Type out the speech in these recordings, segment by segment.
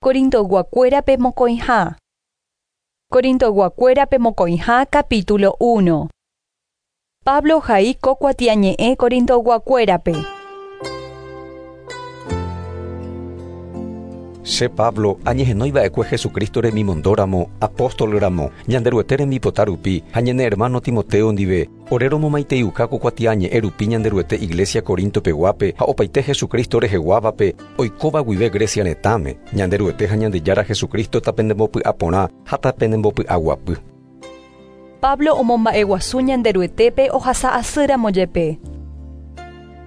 Corintoyguakuérape mokõiha. Corintoyguakuérape mokõiha capítulo 1. Pablo ohai ko kuatiañe'ẽ Corintoyguakuérape. Che Pablo, añehenói va'ekue Jesucristo remimondo ramo, apóstol ramo, Ñanderuete rembipota rupi, ha ñane hermano Timoteo ndive, Ore romomaiteiuka ko kuatiañe'ẽ rupi Ñanderuete iglésia Corinto peguápe ha opaite Jesucristo reheguávape, oikóva guive Grecia retãme. Ñanderuete ha Ñandejára Jesucristo tapendembopy'aporã ha tapendembopy'aguapy. Pablo omomba'eguasu Ñanderuetépe ohasa asýramo jepe.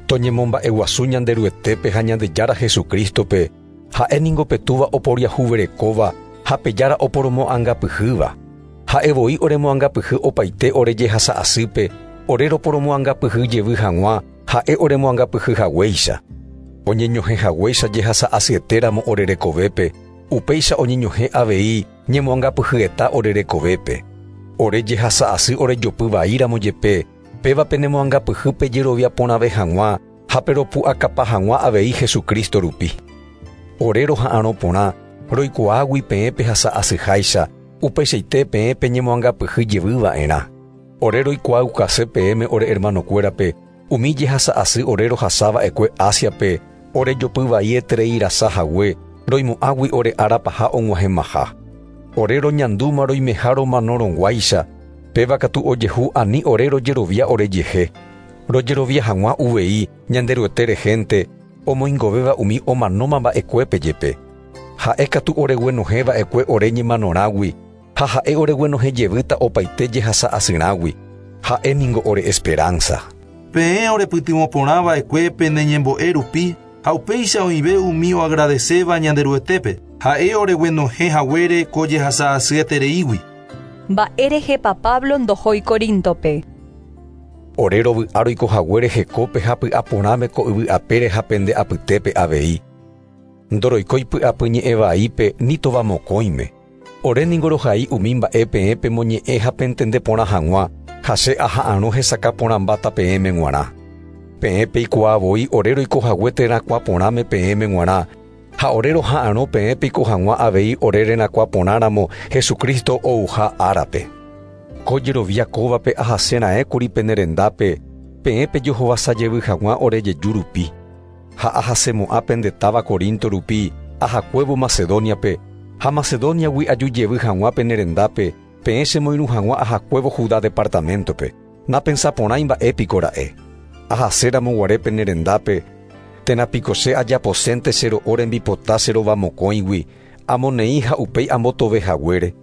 Toñemomba'eguasu Ñanderuetépe ha Ñandejára Jesucrístope, ha'e ningo pe Túva oporiahuverekóva ha pe Jára oporomoangapyhýva. Ha'e voi oremoangapyhy opaite ore jehasa asýpe, ore roporomoangapyhy jevy hag̃ua Ha'e oremoangapyhy haguéicha. Oñeñohẽ haguéicha jehasa asyetéramo ore rekovépe, upéicha oñeñohẽ avei ñemoangapyhyeta ore rekovépe. Ore jehasa asy orejopy vaíramo jepe, péva penemoangapyhy pejerovia porãve hag̃ua ha peropu'akapa hag̃ua avei Jesucristo rupi. Ore roha'arõ porã, roikuaágui peẽ pehasa asyháicha, Upeichaite peẽ peñemoangapyhy jevy va'erã. Ore roikuaaukase peẽme ore ermanokuérape umi jehasa asy ore rohasa va'ekue Ásiape ore jopy vai eterei rasa hague, roimo'ãgui ore ára paha og̃uahẽmaha. Ore roñandúma roimeha romanorõguáicha, péva katu ojehu ani ore rojerovia orejehe. Rojerovia hag̃ua uvei Ñanderuete rehénte, omoingovéva umi omanóma mba'ekuépe jepe. Ha'e katu oreguenohẽ va'ekue ore ñemanorãgui, ha ha'e oreguenohẽ jevýta opaite jehasa asyrãgui. Ha'e ningo ore esperánsa. Peẽ orepytyvõ porã va'ekue pene ñembo'e rupi, ha upéicha oĩve umi oagradeséva Ñanderuetépe, ha'e oreguenohẽ haguére ko jehasa asyetereígui. Mba'érehepa Pablo ndohói Coríntope? Ore rovy'a roiko haguére hekópe ha py'a porãme ko yvy apére ha pende apytépe avei. Ndoroikói py'apy ñe'ẽ vaípe ni tova mokõime. Ore ningo rohai umi mba'e peẽ pemoñe'ẽ ha pentende porã hag̃ua, ha che aha'arõ hesakã porãmbáta peẽme g̃uarã. Peẽ peikuaa voi ore roiko hague terakuã porãme peẽme g̃uarã, ha ore roha'arõ peẽ peiko hag̃ua avei ore rerakuã porãramo Jesucristo ouha árape. Ko jerovia kóvape ahase raẽkuri pene rendápe, peẽ pejohovasa jevy hag̃ua ore jeju rupi. Ha ahasemo'ã pende táva Corinto rupi ahakuévo Macedóniape, ha Macedóniagui aju jevy hag̃ua pene rendápe, peẽ chemoirũ hag̃ua ahakuévo Judá departaméntope. Napensa porãi mba'e piko ra'e. Ahase ramo guare pene rendápe, térã piko che ajaposénte che ro'o rembipota che rova mokõigui, amoneĩ ha upéi ambotove haguére.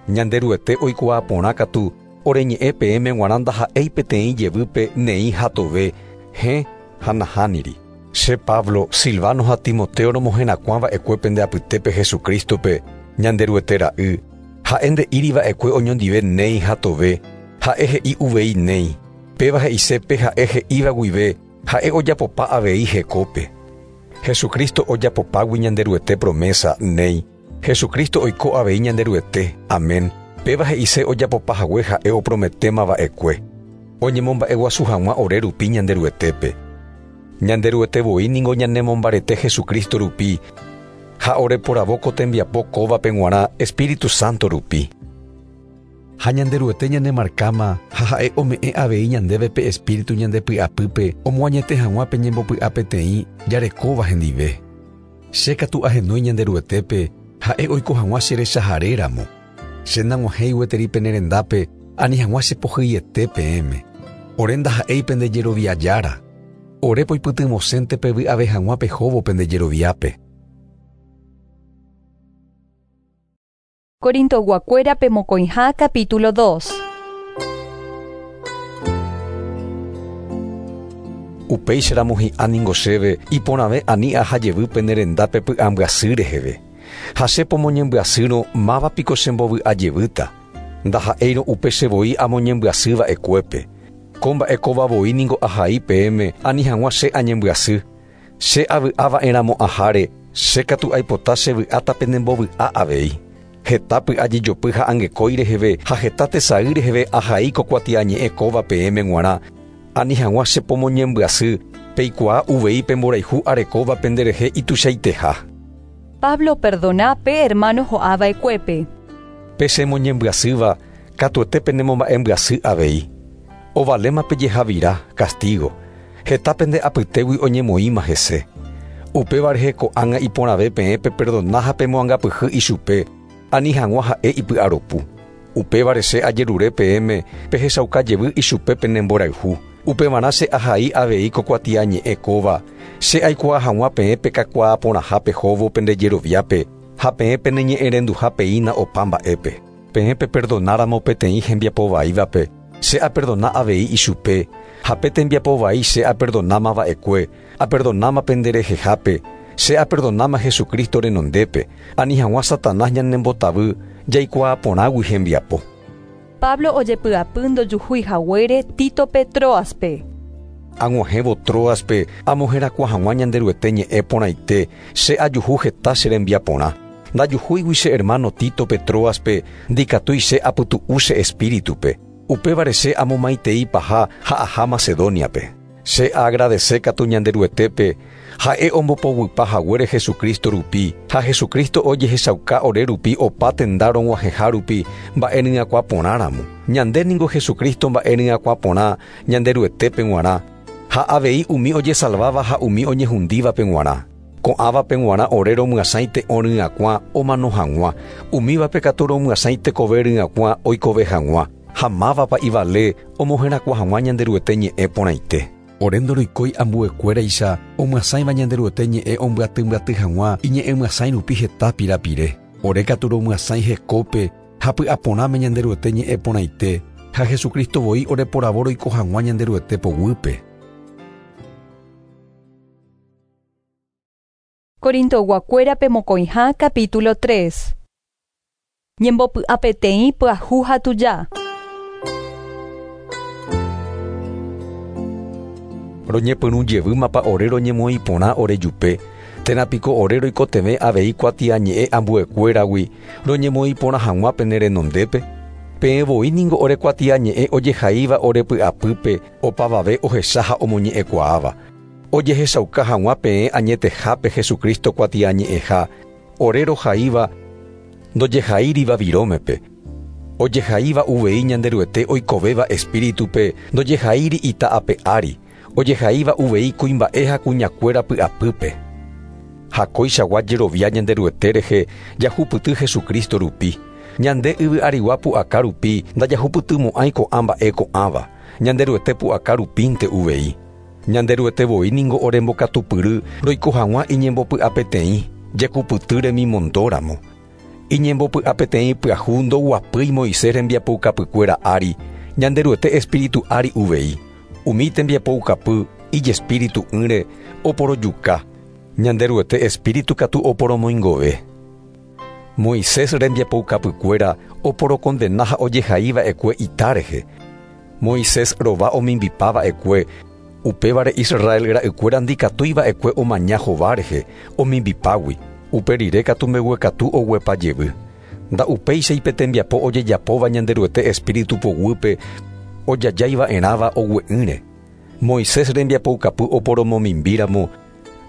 Ñanderuete oikuaa porã katu, ore ñe'ẽ peẽme g̃uarã ndaha'éi peteĩ jevýpe neĩ ha tove, hẽ ha nahániri. Che Pablo, Silvano ha Timoteo romoherakuã va'ekue pende apytépe Jesucrístope, Ñanderuete Ra'y. Ha'e nde'íri va'ekue oñondive néi ha tove, ha'e he'i uvei néi. Péva he'ise pe ha'e he'íva guive, ha'e ojapopa avei hekópe. Jesucristo ojapopágui Ñanderuete promésa, néi. Jesucristo oiko avei Ñanderuete. Amén. Péva he'ise ojapopa hague ha'e oprometéma va'ekue. Oñemomba'eguasu hag̃ua ore rupi Ñanderuetépe. Ñanderuete voi ningo ñanemombarete Jesucristo rupi, ha oreporavo ko tembiapo kóvape g̃uarã Espíritu Santo rupi. Ha Ñanderuete ñanemarkáma ha ha'e ome'ẽ avei ñandéve pe Espíritu ñande py'apýpe omoañete hag̃ua pe ñembopy'a peteĩ jarekóva hendive. Che katu ahenói Ñanderuetépe ha'e oiko hag̃ua che rechahare ramo. Che nag̃uahẽi gueteri pene rendápe ani hag̃ua che pohyiete peẽme. Ore ndaha'éi pende jerovia Jára. Ore poipytyvõsénte pevy'ave hag̃ua pehóvo pende jeroviápe. Corintoyguakuérape mokõiha capítulo 2. Upéicharamo hi'ã ningo chéve iporãve ani aha jevy pene rendápe py'ambyasy reheve. Ha che pomoñembyasýrõ máva piko chembovy'a jevýta, ndaha'éirõ upe che voi amoñembyasy va'ekuépe. Ko mba'e kóva voi ningo ahai peẽme ani hag̃ua che añembyasy. Che avy'a va'erãmo'ãháre, che katu aipota che vy'áta penembovy'a avei. Heta py'a jejopy ha angekói reheve ha heta tesay reheve ahai ko kuatiañe'ẽ kóva peẽme g̃uarã, ani hag̃ua che pomoñembyasy, peikuaa uvei pe mborayhu arekóva penderehe ituichaiteha. Pablo operdona pe ermáno ho'a va'ekuépe. Pe chemoñembyasýva katuete penemomba'embyasy avei. Ovaléma pe jehavira, castigo. Heta pende apytégui oñemoĩma hese. Upéva rehe ko'ág̃a iporãve peẽ peperdona ha pemoangapyhy ichupe, ani hag̃ua ha'e ipy'aropu. Upévare che ajerure peẽme pehechauka jevy ichupe pene mborayhu. Upevarã che ahai avei ko kuatiañe'ẽ kóva, che aikuaa hag̃ua peẽ pekakuaa porãha pehóvo pende jeroviápe ha peẽ peneñe'ẽrenduha peína opa mba'épe. Peẽ peperdonáramo peteĩ hembiapo vaívape, che aperdona avei ichupe, ha pe tembiapo vai che aperdonáma va'ekue, aperdonáma pende rehehápe, che aperdonáma Jesucristo renondépe, ani hag̃ua Satanás ñanembotavy jaikuaa porãgui hembiapo. Pablo ojepy'apy ndojuhúi haguére Títope Tróaspe. Ag̃uahẽvo Tróaspe amoherakuã hag̃ua Ñanderuete ñe'ẽ porãite, che ajuhu heta che rembiaporã. Ndajuhúigui che hermano Títope Tróaspe, ndikatúi che apytu'u che espíritupe. Upévare che amomaitei paha ha aha Macedóniape. Che aagradese katu Ñanderuetépe, ha'e ombopoguipa haguére Jesucristo rupi, ha Jesucristo ojehechauka ore rupi opa tenda rog̃uahẽha rupi mba'e ryakuã porã ramo. Ñande ningo Jesucristo mba'e ryakuã porã Ñanderuetépe g̃uarã, ha avei umi ojesalváva ha umi oñehundívape g̃uarã. Ko'ãvape g̃uarã ore romyasãi te'õ ryakuã omano hag̃ua, umívape katu romyasãi tekove ryakuã oikove hag̃ua, ha mávapa ivale omoherakuã hag̃ua Ñanderuete ñe'ẽ porãite. Ore ndoroikói ambuekuéraicha omyasãiva Ñanderuete ñe'ẽ ombyatymyaty hag̃ua iñe'ẽmyasãi rupi heta pirapire. Ore katu romyasãi hekópe ha py'aporãme Ñanderuete ñe'ẽ porãite ha Jesucristo voi oreporavo roiko hag̃ua Ñanderuete poguýpe. Corintoyguakuérape mokõiha capítulo 3. Ñembopy'apeteĩ pyahu ha tuja. Roñepyrũ jevýmapa ore roñemoĩ porã orejupe, térã piko ore roikotevẽ avei kuatiañe'ẽ ambuekuéragui roñemoĩ porã hag̃ua pene renondépe. Peẽ voi ningo ore kuatiañe'ẽ ojehaíva ore py'apýpe opavave ohecha ha omoñe'ẽkuaáva. Ojehechauka hag̃ua peẽ añetehápe Jesucristo kuatiañe'ẽha ore rohaíva ndojehaíriva virómepe. Ojehaíva uvei Ñanderuete oikovéva espíritupe ndojehaíri ita ape ári, ojehaíva uvei kuimba'e ha kuñakuéra py'apýpe. Ha kóichagua jerovia Ñanderuete rehe jahupyty Jesucristo rupi. Ñande yvy arigua pu'aka rupi ndajahupytymo'ãi ko'ã mba'e ko'ãva. Ñanderuete pu'aka rupínte uvei. Ñanderuete voi ningo orembokatupyry roiko hag̃ua iñembopy'apeteĩ, jekupyty remimondóramo. Iñembopy'apeteĩ pyahu ndoguapýi Moisés rembiapoukapykuéra ári, Ñanderuete espíritu ári uvei. Umi tembiapoukapy ijespíritu'ỹre oporojuka. Ñanderuete espíritu katu oporomoingove. Moisés rembiapoukapykuéra oporokondena ha ojehaiva'ekue ita rehe. Moisés rova omimbipava'ekue, upévare Israel ra'ykuéra ndikatúiva'ekue omaña hova rehe omimbipágui, upe rire katu mbeguekatu oguepa jevy. Nda'upéicha ipetembiapo ojejapóva Ñanderuete espíritu poguýpe ojajaiva'erãva ogue'ỹre. Moisés rembiapoukapy oporomomimbíramo,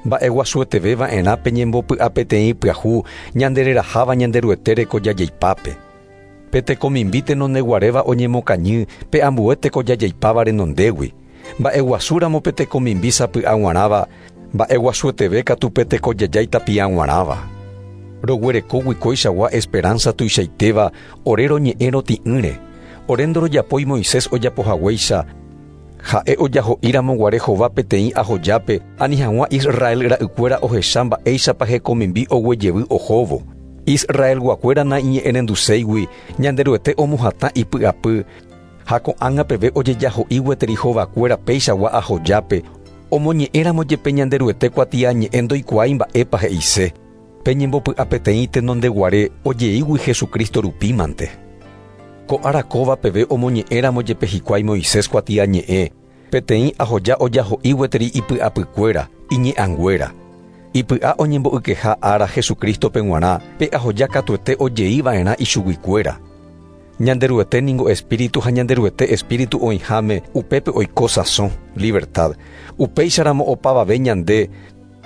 mba'eguasueteveva'erã pe ñembopy'apeteĩ pyahu ñandereraháva Ñanderuete rekojajaipápe. Pe tekomimbi tenondeguaréva oñemokañy pe ambue tekojajaipáva renondégui. Mba'eguasúramo pe tekomimbi sapy'ag̃uarãva, mba'eguasueteve katu pe tekojajái tapi'ag̃uarãva. Roguerekógui kóichagua esperanza tuichaitéva ore roñe'ẽ roti'ỹre. Ore ndorojapói Moisés ojapohaguéicha, ha'e ojaho'íramo guare hova peteĩ ahojápe ani hag̃ua Israel ra'ykuéra ohecha mba'éichapa hekomimbi oguejevy ohóvo. Israelguakuéra naiñe'ẽrenduséigui Ñanderuete omohatã ipy'apy ha ko'ág̃a peve ojejaho'i gueteri hovakuéra péichagua ahojápe omoñe'ẽramo jepe Ñanderuete kuatiañe'ẽ ndoikuaái mba'épa he'ise. Pe ñembopy'apeteĩ tenondeguare ojeígui Jesucristo rupímante. Ko ára kóva peve omoñe'ẽramo jepe hikuái Moisés kuatiañe'ẽ, peteĩ ahoja ojaho'i gueteri ipy'apykuéra, iñe'ãnguéra. Ipy'a oñembo'ykeha ára Jesucristope g̃uarã pe ahoja katuete ojeiva'erã ichuguikuéra. Ñanderuete ningo espíritu ha Ñanderuete espíritu oĩháme upépe oiko sãso, libertad. Upéicharamo opavave ñande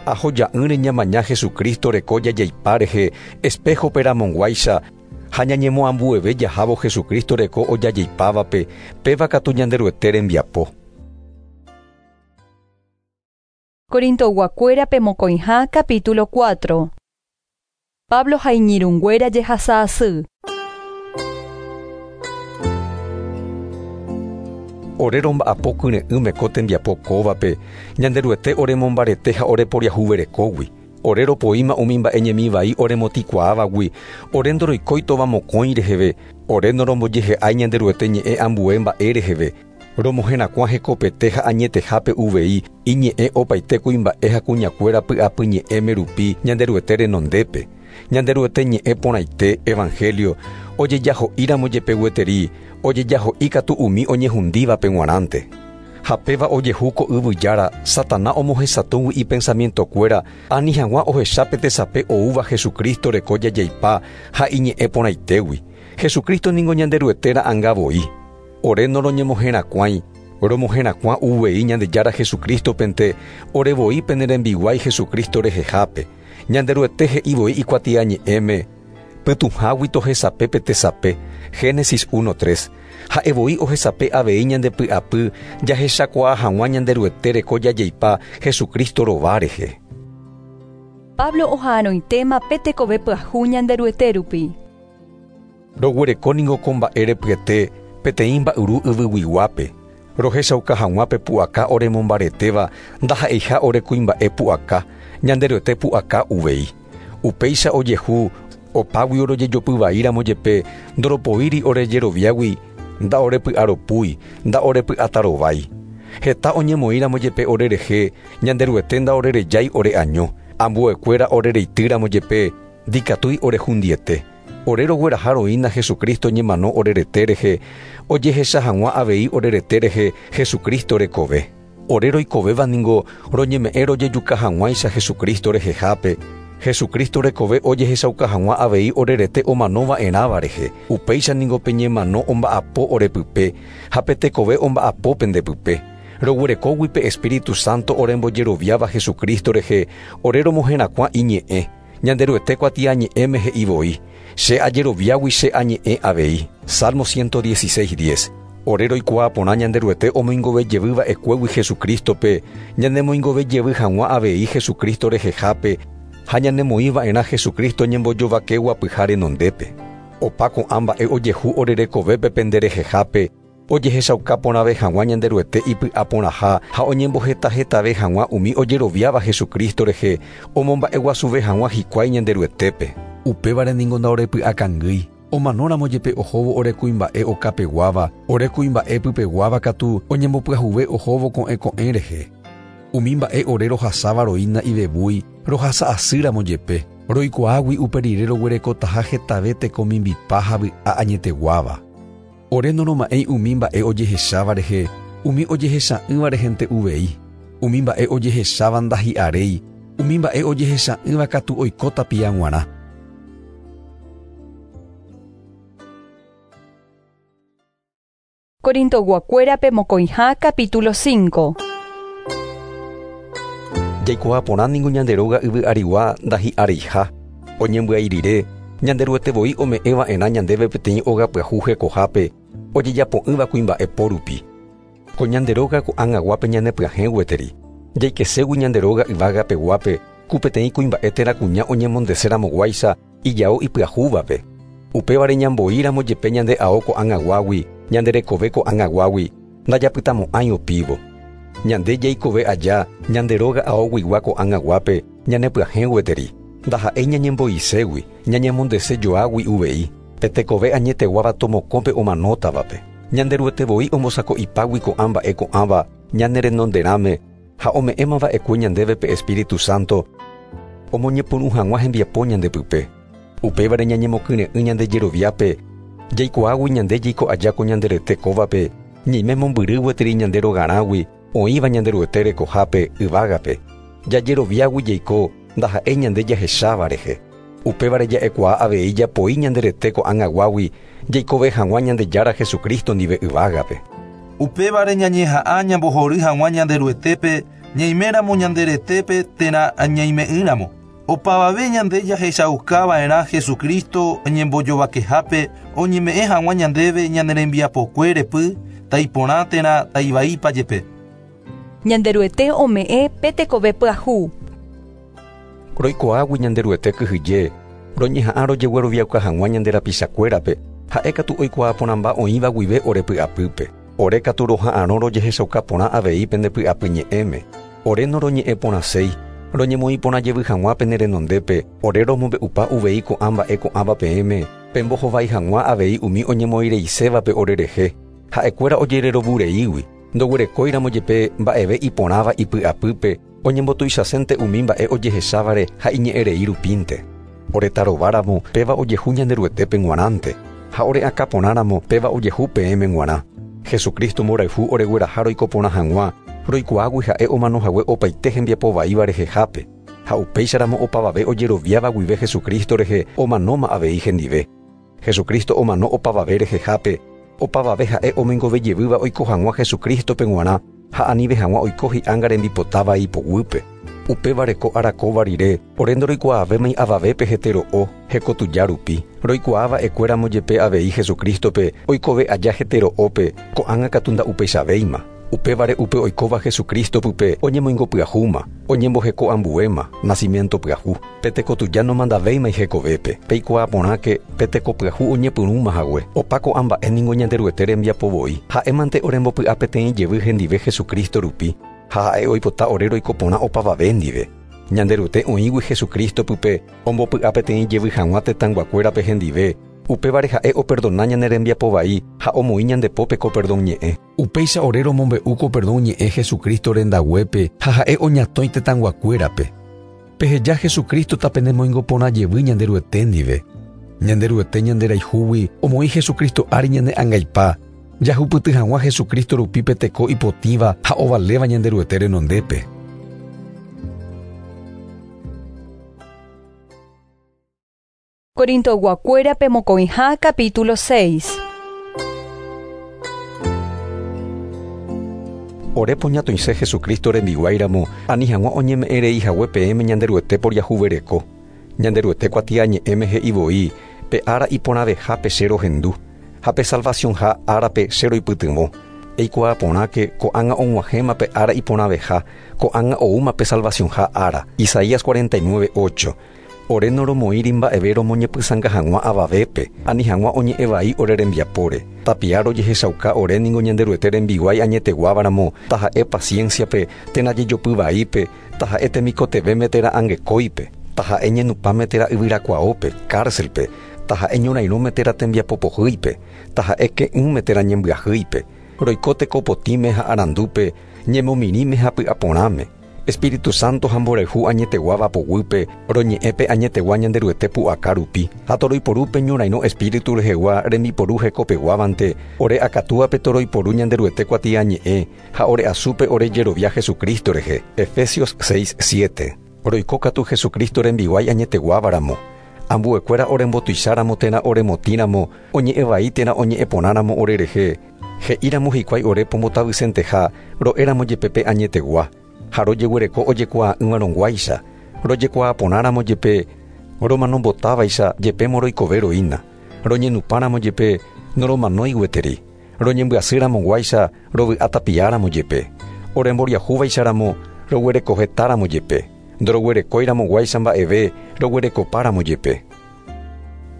Ahoja'ỹre ñamaña Jesucristo reko jajaipa rehe espejo-pe ramog̃uáicha ha ñañemoambueve jahávo Jesucristo reko ojajaipávape péva katu Ñanderuete rembiapo. Corintoguakuérape mokõiha capítulo 4. Pablo ha iñirũnguéra jehasa asy. Ore romba'apo kyre'ỹme ko tembiapo kóvape, Ñanderuete oremombarete ha oreporiahuverekógui. Ore ropoíma umi mba'e ñemivai oremotĩkuaávagui, ore ndoroikói tova mokõi reheve, ore norombojehe'ái Ñanderuete ñe'ẽ ambue mba'e reheve, romoherakuã hekopete ha añetehápe uvei iñe'ẽ opaite kuimba'e ha kuñakuéra py'apyñe'ẽme rupi Ñanderuete renondépe. Ñanderuete ñe'ẽ porãite Evangelio ojejaho'íramo jepe gueteri, ojejaho'i katu umi oñehundívape g̃uarãnte. Ha péva ojehu ko yvyjára Satana omohesatũgui ipensamientokuéra ani hag̃ua ohecha pe tesape oúva Jesucristo reko jajaipa ha iñe'ẽ porãitégui. Jesucristo ningo Ñanderuete ra'ãnga voi. Ore noroñemoherakuãi, romoherakuã uvei Ñandejára Jesucristopente, ore voi pene rembiguái Jesucristo rehehápe. Ñanderuete he'i voi ikuatiañe'ẽme, Pytũhágui tohesape pe tesape, Génesis 1:3. Ha'e voi ohesape avei ñande py'apy jahechakuaa hag̃ua Ñanderuete reko jajaipa Jesucristo rova rehe. Pablo oha'arõitéma pe tekove pyahu Ñanderuete rupi. Roguereko ningo ko mba'e repyete peteĩ mba'yru yvyguiguápe. Rohechauka hag̃ua pe pu'aka oremombaretéva ndaha'eiha ore kuimba'e pu'aka, Ñanderuete pu'aka uvei. Upéicha ojehu opágui orojejopyvaíramo jepe ndoropoíri orejeroviágui nda'orepy'aropúi, nda'orepy'atarovái. Heta oñemoĩramo jepe orerehe, Ñanderuete nda'orerejái ore'año, ambuekuéra orereitýramo jepe ndikatúi orehundiete. Ore rogueraha roína Jesucristo ñemano orerete rehe, ojehecha hag̃ua avei orerete rehe Jesucristo rekove. Ore roikovéva ningo roñeme'ẽ rojejuka hag̃uáicha Jesucristo rehehápe, Jesucristo rekove ojehechauka hag̃ua avei orerete omanova'erãva rehe. Upéicha ningo pe ñemano omba'apo orepype ha pe tekove omba'apo pendepype. Roguerekógui pe Espíritu Santo orembojeroviáva Jesucristo rehe, ore romoherakuã iñe'ẽ. Ñanderuete kuatiañe'ẽme he'i voi, Che ajeroviágui che añe'ẽ avei. Salmo 116:10. Ore roikuaa porã Ñanderuete omoingovejevýva'ekuégui Jesucristope, ñanemoingovejevy hag̃ua avei Jesucristo rehehápe ha ñanemoĩva'erã Jesucristo ñembojovakeguapyha renondépe. Opa ko'ã mba'e ojehu orerekovépe pende rehehápe, ojehechauka porãve hag̃ua Ñanderuete ipy'aporãha ha oñembohetahetave hag̃ua umi ojeroviáva Jesucristo rehe, omomba'eguasuve hag̃ua hikuái Ñanderuetépe. Upévare ningo nda'orepy'akangýi. Omanóramo jepe ohóvo ore kuimba'e okapeguáva, ore kuimba'e pypeguáva katu oñembopyahuve ohóvo ko'ẽ ko'ẽ rehe. Umi mba'e ore rohasáva roína ivevúi, rohasa asýramo jepe, roikuaágui upe rire roguerekotaha hetave tekomimbipa ha vy'a añeteguáva. Ore noroma'ẽi umi mba'e ojehecháva rehe, umi ojehecha'ỹva rehente uvei. Umi mba'e ojehecháva ndahi'aréi, umi mba'e ojehecha'ỹva katu oiko tapia g̃uarã. Corintoguakuérape mokõiha capítulo 5. Jaikuaa porã ningo ñande róga yvy arigua ndahi'areiha. Oñembyai rire, Ñanderuete voi ome'ẽva'erã ñandéve peteĩ óga pyahu hekohápe, ojejapo'ỹva kuimba'e po rupi. Ko ñande róga ko'ag̃aguápe ñanepyahẽ gueteri. Jaikeségui ñande róga yvágapeguápe, ku peteĩ kuimba'e térã kuña oñemondeseramoguáicha ijao ipyahúvape. Upévare ñamboíramo jepe ñande ao ko'ag̃aguágui, ñande rekove ko'ag̃aguágui, ndajapytamo'ãi opívo. Ñande jaikove aja ñande róga aoguigua ko'ag̃aguápe ñanepyahẽ gueteri. Ndaha'éi ñañembo'iségui, ñañemondesejoágui uvei, pe tekove añeteguáva tomokõpe omanótavape. Ñanderuete voi ombosako'ipágui ko'ã mba'e ko'ãva ñane renonderãme ha ome'ẽmava'ekue ñandéve pe Espíritu Santo omoñepyrũ hag̃ua hembiapo ñandepype. Upévare ñañemokyre'ỹ ñande jeroviápe, jaikuaágui ñande jaiko aja ko ñanderete kóvape, ñaime mombyry gueteri ñande rogarãgui oĩva Ñanderuete rekohápe yvágape. Jajeroviágui jaiko ndaha'éi ñande jahecháva rehe. Upévare ja'ekuaa avei japoi ñanderete ko'ag̃aguágui jaikove hag̃ua Ñandejára Jesucristo ndive yvágape. Upévare ñañeha'ã ñambohory hag̃ua Ñanderuetépe Ñaiméramo ñande retépe térã ñaime'ỹramo. Opavave ñande jahechaukava'erã Jesucristo ñembojovakehápe oñeme'ẽ hag̃ua ñandéve ñane rembiapokue repy taiporã térã taivaípa jepe. Ñanderuete ome'ẽ pe tekove pyahu. Roikuaágui Ñanderuete kyhyje, roñeha'ã rojegueroviauka hag̃ua ñande rapichakuérape, ha'ékatu oikuaa porãmba oĩva guive ore py'apýpe. Ore katu roha'arõ rojehechauka porã avei pende py'apy ñe'ẽme. Ore noroñe'ẽ porãséi, roñemoĩ porã jevy hag̃ua pene renondépe, ore romombe'upa uvei ko'ã mba'e ko'ãva peẽme, pembohovái hag̃ua avei umi oñemoĩreisévape orerehe. Ha'ekuéra ojererovureígui, ndoguerekóiramo jepe mba'eve iporãva ipy'apýpe, oñembotuichasénte umi mba'e ojehechávare ha iñe'ẽrei rupínte. Ore tarováramo péva ojehu Ñanderuetépe g̃uarãnte, ha ore akãporãramo péva ojehu peẽme g̃uarã. Jesucristo mborayhu oregueraha roiko porã hag̃ua, roikuaágui ha'e omanohague opaite hembiapovaíva rehehápe, ha upéicharamo opavave ojeroviáva guive Jesucristo rehe omanóma avei hendive. Jesucristo omano opavave rehehápe, opavave ha'e omoingovejevýva oiko hag̃ua Jesucristope g̃uarã ha anive hag̃ua oiko hi'ánga rembipotáva ipoguýpe. Upévare ko arakóva rire, ore ndoroikuaavémai avavépe hetero'o, hekotuja rupi. Roikuaava'ekuéramo jepe avei Jesucristope oikove aja hetero'ópe, ko'ág̃a katu nda'upeichavéima. Upévare upe oikóva Jesucristo pype oñemoingopyahúma, oñemboheko'ambuéma, nacimiento pyahu. Pe tekotuja nomandavéima hekovépe. Peikuaa porãke pe tekopyahu oñepyrũma hague. Opa ko'ã mba'e ningo Ñanderuete rembiapo voi. Ha'émante orembopy'a peteĩ jevy hendive Jesucristo rupi, ha ha'e oipota ore roiko porã opavave ndive. Ñanderuete oĩgui Jesucristo pype ombopy'a peteĩ jevy hag̃ua tetãyguakuérape hendive. Upévare ha'e operdona ñane rembiapo vai ha omoĩ ñandepópe ko perdón ñe'ẽ. Upéicha ore romombe'u ko perdón ñe'ẽ Jesucristo rendaguépe ha ha'e oñatõi tetãyguakuérape. Peheja Jesucristo tapenemoingo porã jevy Ñanderuete ndive. Ñanderuete ñanderayhúgui omoĩ Jesucristo ári ñane angaipa, jahupyty hag̃ua Jesucristo rupi pe teko ipotĩva ha ovaléva Ñanderuete renondépe. Corintoyguakuérape mokõiha capítulo 6. Ore poñatõise Jesucristo rembiguáiramo ani hag̃ua oñeme'ẽrei hague peẽme Ñanderuete poriahuvereko. Ñanderuete kuatiañe'ẽme he'i voi pe ára iporãvehápe che rohendu, ha pe salvacionha árape che roipytyvõ. Eikuaa porãke ko'ág̃a og̃uahẽma pe ára iporãveha, ko'ág̃a oúma pe salvacionha ára. Isaías 49:8. Ore noromoĩri mba'eve romoñepysãnga hag̃ua avavépe, ani hag̃ua oñe'ẽ vai ore rembiapóre. Tapia rojehechauka ore ningo Ñanderuete rembiguái añeteguávaramo, taha'e pacienciape, térã jejopy vaípe, taha'e temikotevẽme térã angekóipe, taha'e ñenupãme térã yvyrakuaópe, cárcelpe, taha'e ñorairõme térã tembiapopohýipe, taha'e ke'ỹme térã ñembyahýipe. Roiko tekopotĩme ha arandúpe, ñemomirĩme ha py'aporãme. Espíritu Santo ha mborayhu añeteguáva poguýpe, roñe'ẽpe añetegua Ñanderuete pu'aka rupi. Ha toroiporúpe ñorairõ Espíritu rehegua rembiporu hekopeguávante, ore akatúape toroiporu Ñanderuete kuatiañe'ẽ ha ore asúpe ore jerovia Jesucristo rehe. Efesios 6:7. Roiko katu Jesucristo rembiguái añeteguávaramo. Ambuekuéra orembotuicháramo térã oremotĩramo, oñe'ẽ vai térã oñe'ẽ porãramo orerehe. He'íramo hikuái ore pombotavysenteha, ro'éramo jepe pe añetegua. Ha rojeguereko ojekuaa'ỹvarõguáicha, rojekuaaporãramo jepe romanombotávaicha jepémo roikove roína. Roñenupãramo jepe noromanói gueteri. Roñembyasýramoguáicha rovy'atapiáramo jepe. Oremboriahúvaicharamo roguerekohetáramo jepe. Ndoroguerekóiramoguáicha mba'eve roguerekopáramo jepe.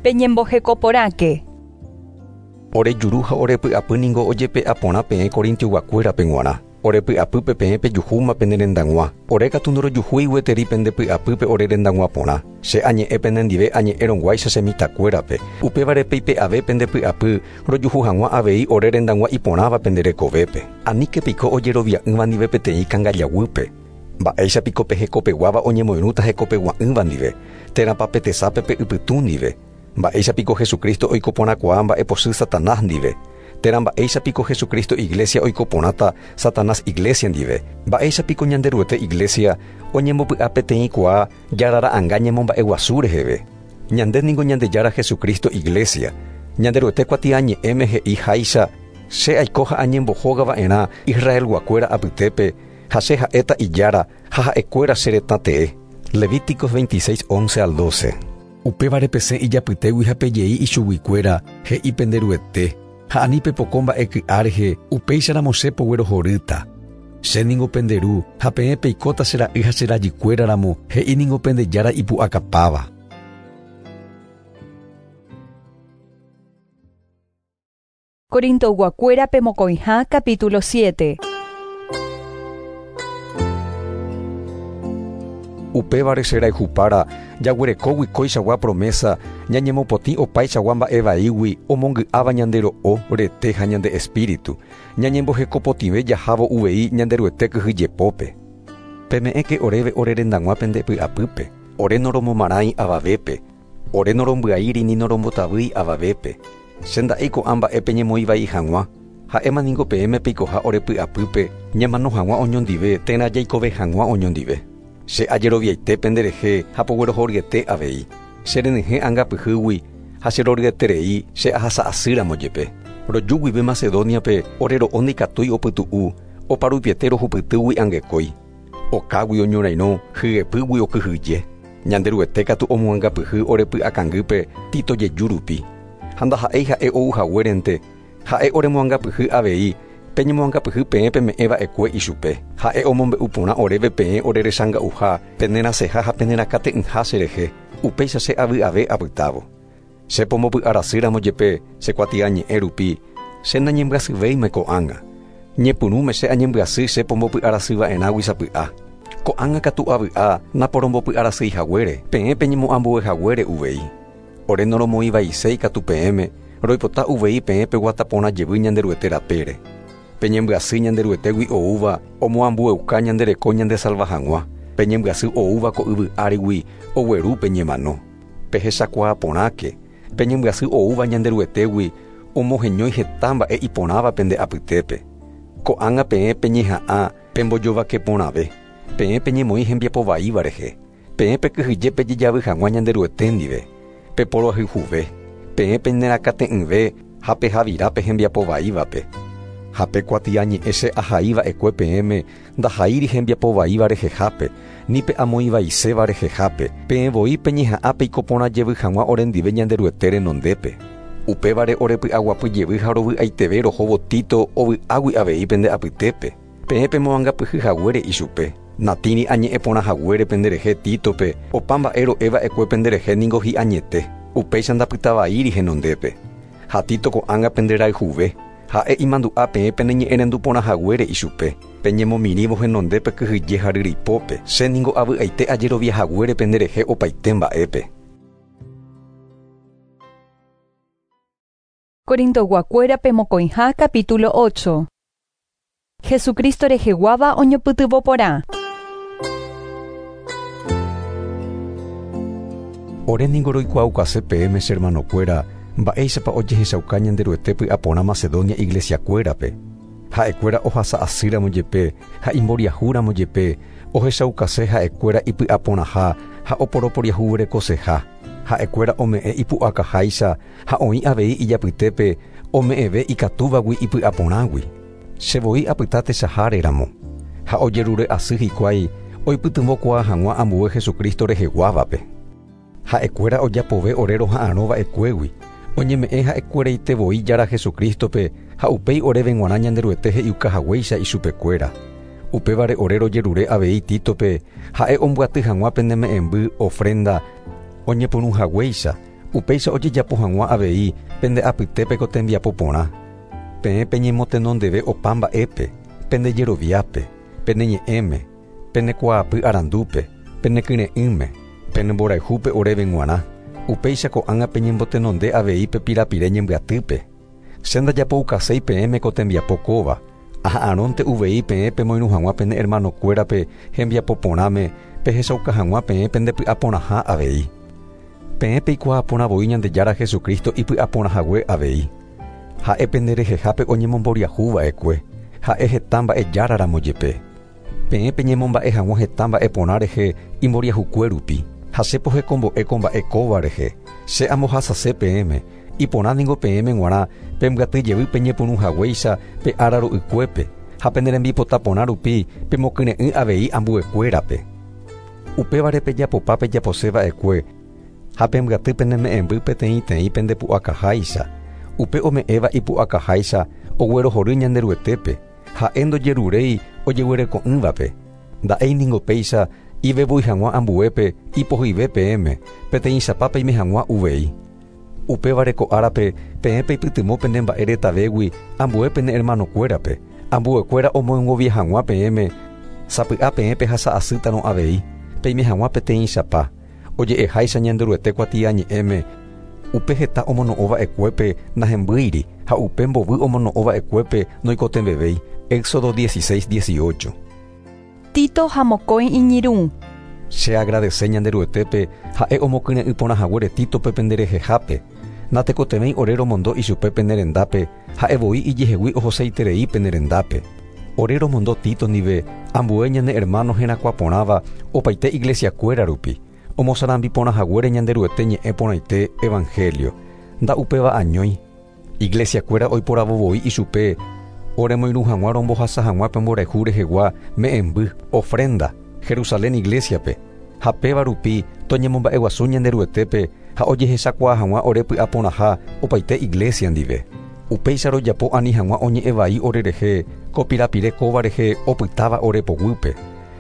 Peñembohekoporãke. Ore juru ha ore py'apy ningo ojepe'aporã peẽ Corintioguakuérape g̃uarã. Ore py'apýpe peẽ pejuhúma pene rendag̃ua. Ore katu ndorojuhúi gueteri pende py'apýpe ore rendag̃ua porã. Che añe'ẽ penendive añe'ẽrõguáicha che mitãkuérape. Upévare peipe'ave pende py'apy rojuhu hag̃ua avei ore rendag̃ua iporãva pende rekovépe. Aníke piko ojerovia'ỹva ndive peteĩ kangajaguýpe. Mba'éicha piko pe hekopeguáva oñemoirũta hekopegua'ỹva ndive, térãpa pe tesápe pe ypytũ ndive. Mba'éicha piko Jesucristo oiko porãkuaa mba'epochy Satanás ndive. Térã mba'éicha piko Jesucristo iglesia oiko porãta Satanás iglesia ndive. Mba'éicha piko Ñanderuete iglesia oñembopy'a peteĩkuaa jarara'ãnga ñemomba'eguasu reheve. Ñande ningo Ñandejára Jesucristo iglesia. Ñanderuete kuatiañe'ẽme he'i háicha, che aiko ha añembohógava'erã Israelguakuéra apytépe, Ha che ha'éta Ijára ha ha'ekuéra che retã tee. Levíticos 26, 11 al 12. Upévare pesẽ ijapytégui ha pejei ichuguikuéra, he'i pende Ruete, ha ani pepoko mba'e ky'a rehe, upéicharamo che poguerohorýta. Che ningo pende Ru, ha peẽ peikóta che ra'y ha che rajykuéra ramo, he'i ningo pende Jára ipu'akapáva. Corintoyguakuérape mokõiha capítulo 7. Upévare che rayhupára, jaguerekógui kóichagua promesa, ñañemopotĩ opaichagua mba'e vaígui omongy'áva ñande ro'o, rete ha ñande espíritu, ñañembohekopotĩve jahávo uvei Ñanderuete kyhyjepópe. Peme'ẽke oréve ore rendag̃ua pende py'apýpe, ore noromomarãi avavépe, ore norombyaíri ni norombotavýi avavépe. Che nda'éi ko'ã mba'e peñemoĩ vai hag̃ua, ha'éma ningo peẽme peikoha ore py'apýpe ñamano hag̃ua oñondive térã jaikove hag̃ua oñondive. Che ajeroviaite penderehe ha poguerohoryete avei. Che renyhẽ angapyhýgui ha che roryeterei che ahasa asýramo jepe. Roju guive Macedóniape ore ro'o ndaikatúi opytu'u, oparupiete rohupytýgui angekói. Okágui oñorairõ, hyepýgui okyhyje. Ñanderuete katu omoangapyhy ore py'akangýpe Tito jeju rupi. Ha ndaha'éi ha'e ou haguérente, ha'e oremoangapyhy avei, peñemoangapyhy peẽ peme'ẽ va'ekue ichupe. Ha'e omombe'u porã oréve peẽ orerechanga'uha, penerasẽha ha penerakate'ỹha cherehe, upéicha che avy'ave apytávo. Che pombopy'arasýramo jepe che kuatiañe'ẽ rupi, che nañembyasyvéima ko'ág̃a. Ñepyrũme che añembyasy che pombopy'arasyva'erãgui sapy'a. Ko'ág̃a katu avy'a naporombopy'arasýi haguére, peẽ peñemoambue haguére uvei. Ore noromoĩvaiséi katu peẽme, roipota uvei peẽ peguata porã jevy Ñanderuete rapére. Peñembyasy Ñanderuetégui oúva omoambueuka ñande reko ñandesalva hag̃ua, peñembyasy oúva ko yvy árigui ogueru peñemano. Pehechakuaa porãke, peñembyasy oúva Ñanderuetégui omoheñói heta mba'e iporãva pende apytépe. Ko'ág̃a peẽ peñeha'ã pembojovake porãve, peẽ peñemoĩ hembiapo vaíva rehe, peẽ pekyhyje pejejavy hag̃ua Ñanderuete ndive, peporoayhuve, peẽ penerakate'ỹve ha pehavira pe hembiapo vaívape. Ha pe kuatiañe'ẽ che ahai va'ekue peẽme ndahaíri hembiapo vaíva rehehápe, ni pe amoĩvaiséva rehehápe, peẽ voi peñeha'ã peiko porã jevy hag̃ua orendive Ñanderuete renondépe. Upévare orepy'aguapy jevy ha rovy'aiteve rohóvo Tito ovy'águi avei pende apytépe. Peẽ pemoangapyhy haguére ichupe. Natĩri añe'ẽ porã haguére penderehe Títope, opa mba'e ro'e va'ekue penderehe ningo hi'añete, upéicha ndapytavaíri henondépe. Ha Tito ko'ág̃a penderayhuve, ha'e imandu'a peẽ peneñe'ẽrendu porã haguére ichupe, peñemomirĩvo henondépe kyhyje ha ryripópe, che ningo avy'aite ajerovia haguére penderehe opaite mba'épe. Corintoyguakuérape mokõiha capítulo 8. Jesucristo reheguáva oñopytyvõ porã. Ore ningo roikuaukase peẽme che hermanokuéra, mba'éichapa ojehechauka Ñanderuete py'aporã Macedonia iglesiakuérape. Ha'ekuéra ohasa asýramo jepe ha imboriahúramo jepe, ohechaukase ha'ekuéra ipy'aporãha ha oporoporiahuverekoseha. Ha'ekuéra ome'ẽ ipu'akaháicha ha oĩ avei ijapytépe ome'ẽve ikatúvagui ipy'aporãgui. Che voi apyta techaháreramo, ha ojerure asy hikuái oipytyvõkuaa hag̃ua ambue Jesucristo reheguávape. Ha'ekuéra ojapove ore roha'arõ va'ekuégui, oñeme'ẽ ha'ekueraite voi Jára Jesucristo-pe ha upéi oréve g̃uarã Ñanderuete he'iuka haguéicha ichupekuéra. Upévare ore rojerure avei Títope ha'e ombyaty hag̃ua pene me'ẽmby ofrenda oñepyrũ haguéicha, upéicha ojejapo hag̃ua avei pende apytépe ko tembiapo porã. Peẽ peñemotenondeve opa mba'épe, pende jeroviápe, pene ñe'ẽme, pene kuaapy arandúpe, pene kyre'ỹme, pene mborayhúpe oréve g̃uarã, upéicha ko'ág̃a peñembotenonde avei pe pirapire ñembyatýpe. Che ndajapoukaséi peẽme ko tembiapo kóva, aha'arõnte uvei peẽ pemoirũ hag̃ua pene hermanokuérape hembiapo porãme pehechauka hag̃ua peẽ pende py'aporãha avei. Peẽ peikuaa porã voi Ñandejára Jesucristo ipy'aporãhague avei. Ha'e pende rehehápe oñemomboriahu va'ekue, ha'e heta mba'e járaramo jepe. Peẽ peñemomba'e hag̃ua heta mba'e porã rehe imboriahukue rupi, ha che pohekombo'e ko mba'e kóva rehe, che ambohasase peẽme, iporã ningo peẽme g̃uarã pembyaty jevy peñepyrũ haguéicha pe ára ro'ykuépe, Ha pene rembipota porã rupi pemokyre'ỹ avei ambuekuérape. Upévare pejapopa pejaposeva'ekue ha pembyaty pene me'ẽmby peteĩteĩ pendepu'akaháicha. Upe ome'ẽva ipu'akaháicha oguerohory Ñanderuetépe, ha'e ndojeruréi ojeguereko'ỹvape. Nda'éi ningo péicha ivevúi hag̃ua ambuépe ipohyive peẽme, peteĩchapa peime hag̃ua uvei. Upévare ko árape peẽ peipytyvõ pene mba'e retavégui ambue pene hermanokuérape, ambuekuéra omoengovia hag̃ua peẽme, sapy'a peẽ pehasa'asýtarõ avei, peime hag̃ua peteĩchapa. Oje'eháicha Ñanderuete kuatiañe'ẽme, upe heta omono'õva'ekuépe nahembýiri ha upe mbovy omono'õva'ekuépe noikotevẽvéi. Éxodo 16:18. Tito ha mokõi iñirũ. Che agradece Ñanderuetépe ha'e omokyre'ỹ porã haguére Títope penderehehápe. Natekotevẽi ore romondo ichupe pene rendápe, ha'e voi ijehegui ohoseiterei pene rendápe. Ore romondo Tito ndive ambue ñane hermano herakuã porãva opaite iglesiakuéra rupi, omosarambi porã haguére Ñanderuete ñe'ẽ porãite Evangelio. Nda'upéva añói. Iglesiakuéra oiporavo voi ichupe oremoirũ hag̃ua rombohasa hag̃ua pe mborayhu rehegua me'ẽmby, ofrenda, Jerusalén iglesiape. Ha péva rupi toñemomba'eguasu Ñanderuetépe ha ojehechakuaa hag̃ua ore py'aporãha opaite iglesia ndive. Upéicha rojapo ani hag̃ua oñe'ẽ vai orerehe ko pirapire kóva rehe opytáva ore poguýpe.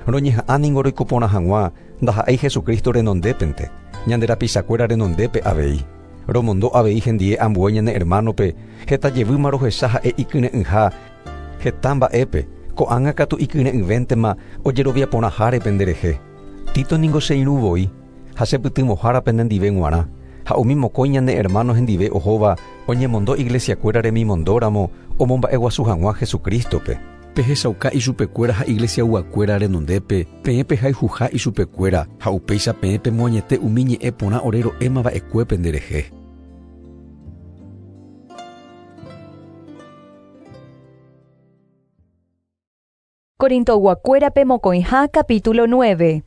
Roñeha'ã ningo roiko porã hag̃ua ndaha'éi Jesucristo renondépente, ñande rapichakuéra renondépe avei. Romondo avei hendie ambue ñane hermanope, heta jevýma rohecha ha'e ikyre'ỹha heta mba'épe, ko'ág̃a katu ikyre'ỹvéntema ojerovia porãháre penderehe. Tito ningo che irũ voi, ha chepytyvõhára penendive g̃uarã, ha umi mokõi ñane hermano hendive ohóva oñemondo iglesiakuéra remimondóramo omomba'eguasu hag̃ua Jesucristope. Pehechauka ichupekuéra ha iglesiayguakuéra renondépe peẽ pehayhuha ichupekuéra ha upéicha peẽ pemoañete umi ñe'ẽ porã ore ro'émava'ekue penderehe. Corintoguakuérape mokõiha capítulo 9.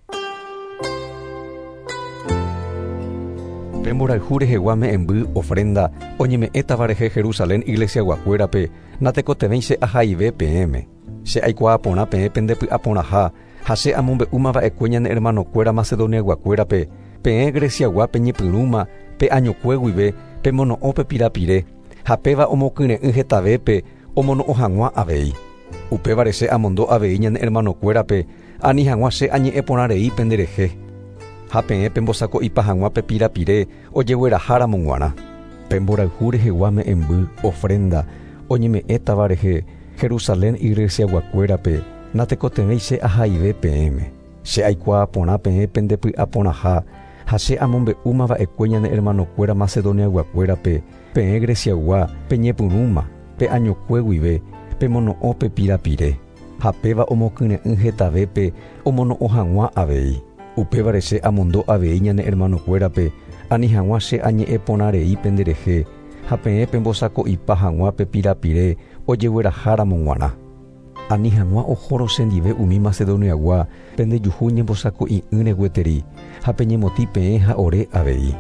Pe mborayhu rehegua me'ẽmby ofrenda oñeme'ẽtava rehe Jerusalén iglesiaguakuérape natekotevẽi che ahaive peẽme. Che aikuaa porã peẽ pendepy'aporãha ha che amombe'úmava'ekue ñane hermanokuéra Macedoniaguakuérape, peẽ Greciagua peñepyrũma pe añokue guive pemono'õ pe pirapire ha péva omokyre'ỹ hetavépe omono'õ hag̃ua avei. Upévare che amondo avei ñane hermanokuérape ani hag̃ua che añe'ẽ porã rei penderehe. Ha peẽ pembosako'ipa hag̃ua pe pirapire ojegueraháramo g̃uarã. Pe mborayhu rehegua me'ẽmby ofrenda oñeme'ẽtava rehe Jerusalén iglesiaguakuérape natekotevẽi che ahaive peẽme. Che aikuaa porã peẽ pendepy'aporãha ha che amombe'úmava'ekue ñane hermanokuéra Macedoniaguakuérape peẽ Greciagua peñepyrũma pe añokue guive pemono'õ pe pirapire. Ha péva omokyre'ỹ hetavépe omono'õ hag̃ua avei. Upévare che amondo avei ñane hermanokuérape ani hag̃ua che añe'ẽ porã rei penderehe ha peẽ pembosako'ipa hag̃ua pe pirapire ojegueraháramo g̃uarã. Ani hag̃ua ohórõ chendive umi Macedoniagua pendejuhu ñembosako'i'ỹre gueteri ha peñemotĩ peẽ ha ore avei.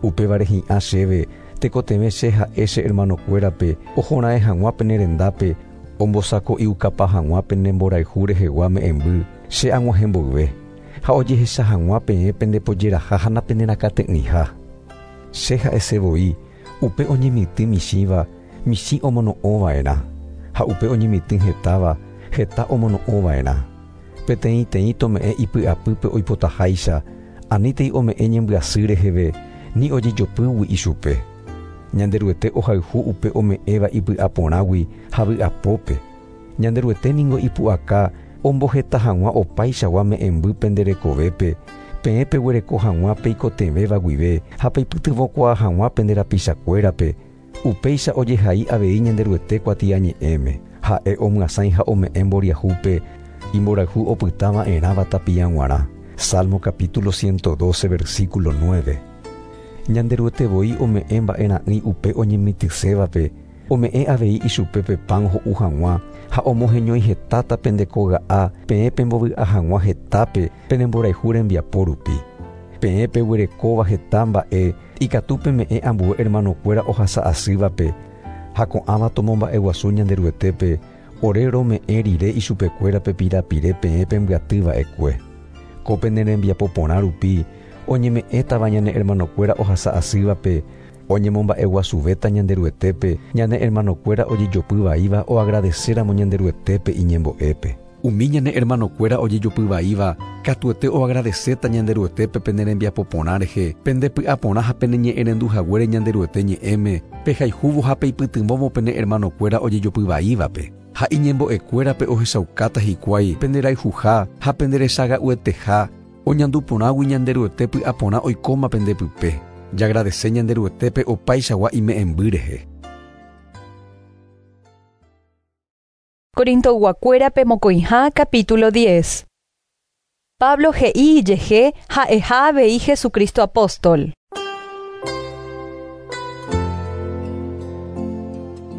Upévare hi'ã chéve tekotevẽ che ha'e che hermanokuérape ohora'ẽ hag̃ua pene rendápe ombosako'iukapa hag̃ua pene mborayhu rehegua me'ẽmby che ag̃uahẽ mboyve ha ojehecha hag̃ua peẽ pendepojeraha ha napenerakate'ỹiha. Che ha'ese voi upe oñemitỹ michĩva michĩ omono'õva'erã ha upe oñemitỹ hetáva heta omono'õva'erã. Peteĩteĩ tome'ẽ ipy'apýpe oipotaháicha anítei ome'ẽ ñembyasy reheve ni ojejopýgui ichupe. Ñanderuete ohayhu upe ome'ẽva ipy'aporãgui ha vy'apópe. Ñanderuete ningo ipu'aka omboheta hag̃ua opaichagua me'ẽmby penderekovépe, peẽ peguereko hag̃ua peikotevẽva guive ha peipytyvõkuaa hag̃ua pende rapichakuérape. Upéicha ojehai avei Ñanderuete kuatiañe'ẽme. Ha'e omyasãi ha ome'ẽ mboriahúpe imborayhu opytava'erãva tapia g̃uarã. Salmo capítulo 112 versículo 9. Ñanderuete voi ome'ẽ mba'era'ỹi upe oñemitỹsévape, ome'ẽ avei ichupe pe pan ho'u hag̃ua ha omoheñói hetáta pendekoga'a peẽ pembovy'a hag̃ua hetápe pene mborayhu rembiapo rupi. Peẽ peguerekóva heta mba'e ikatu peme'ẽ ambue hermanokuéra ohasa'asývape ha ko'ãva tomomba'eguasu Ñanderuetépe Ore rome'ẽ rire ichupekuérape pirapire peẽ pembyatyva'ekue. Ko pene rembiapo porã rupi oñeme'ẽtava ñane hermanokuéra ohasa asývape, oñemomba'eguasuvéta Ñanderuetépe, ñane hermanokuéra ojejopyvaíva oagradecéramo Ñanderuetépe iñembo'épe. Umi ñane hermanokuéra ojejopyvaíva katuete oagradecéta Ñanderuetépe pene rembiapo porã rehe, pende py'aporã ha pene ñe'ẽrenduhaguére Ñanderuete ñe'ẽme, pehayhúvo ha peipytyvõvo pene hermanokuéra ojejopyvaívape. Ha iñembo'ekuérape ohechaukáta hikuái pende rayhuha ha pende rechaga'ueteha, oñandu porãgui Ñanderuete py'aporã oikóma pende pype. Jagradece Ñanderuetépe opaichagua ime'ẽmby rehe. Corintoyguakuérape mokõiha capítulo 10. Pablo he'i ijehe ha'eha avei Jesucristo apóstol.